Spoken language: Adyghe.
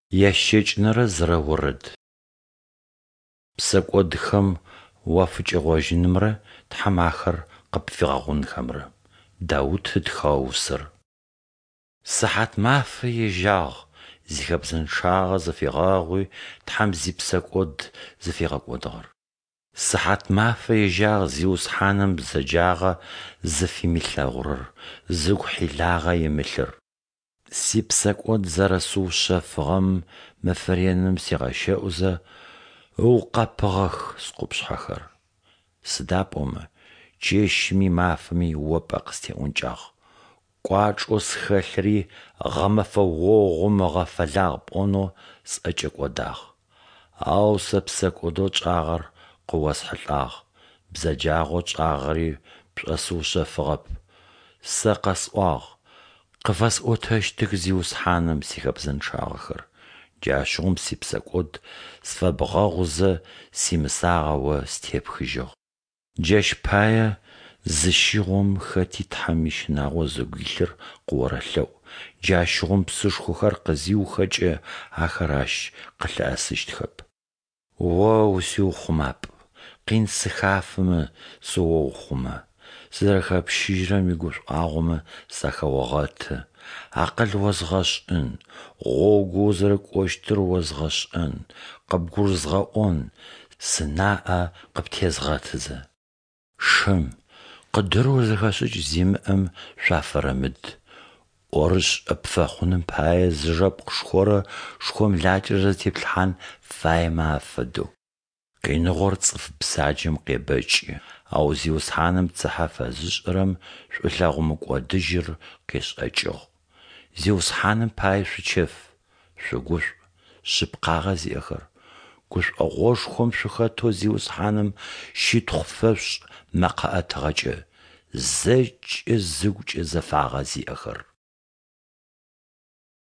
Ящэкӏэнэрэ зырэ орэд. Псэкӏодхэм уафыкӏэгъожьынымрэ Тхьэм ахэр къыпфигъэгъунхэмрэ. Даут ытхыгъэ усэр. Сыхьатмафэ ежьагъ зихэбзэнчъагъэ зыфигъэгъуи, Тхьэм зипсэкӏод зыфигъэкӏодыгъэр. Сыхьатмафэ ежьагъ Зиусхьаным бзэджагъэ зыфимылъэгъурэр, зыгу хьилагъэ имылъыр. Сипсэкӏод зэрэсыушъэфыгъэм мэфэ реным сигъэщэӏузэ, ыукъэпыгъэх скъупшъхьэхэр. Сыда пӏомэ чэщми мафэми О пӏэ къыстеӏункӏагъ, кӏуачӏэу схэлъыри гъэмэфэ огъум ыгъэфэлагъ пӏонэу сӏэкӏэкӏодагъ. Ау сэ псэкӏодэу тшӏагъэр къыосхьылӏагъ, бзэджагъэу тшӏагъэри пшӏосыушъэфыгъэп. Сэ къэсӏуагъ: Къыфэсӏотэщтых Зиусхьаным сихэбзэнчъагъэхэр. Джащыгъум сипсэкӏод сфэбгъэгъузэ, симысагъэ О степхыжьыгъ. Джащ пае зыщигъом хэти Тхьэм ищынагъо зыгу илъыр къыорэлъэӏу, джащыгъум псышхохэр къызиухэкӏэ, ахэр ащ къылъыӏэсыщтхэп. О усиухъумапӏ, къин сыхафэмэ, сыоухъумэ, сызэрэхэпщыжьырэм игушӏуагъомэ сахэогъэты, акъыл озгъэшӏын, гъогоу узэрыкӏощтыр озгъэшӏэн, къыбгурызгъэӏон, сынаӏэ къыптезгъэтызэ. Шым, къыдырэу зэхэшӏыкӏ зимыӏэм шъуафэрэмыд, ӏорышӏэ пфэхъуным пае зыжэпкъ шхорэ шхомлакӏэрэ зытеплъхьан фаемэ афэдэу. Къиныгъор цӏыф бзаджэм къебэкӏы, ау Зиусхьаным цыхьэ фэзышӏырэм шӏулъэгъу мыкӏодыжьыр къешӏэкӏыгъ. Зиусхьаным пае шъучэф, шъугушӏу, шъыпкъагъэ зиӏэхэр, гушӏогъошхом шъухэтэу Зиусхьаным щытхъу фэшъушӏ мэкъэ ӏэтыгъэкӏэ, зэкӏэ зыгукӏэ зэфагъэ зиӏэхэр.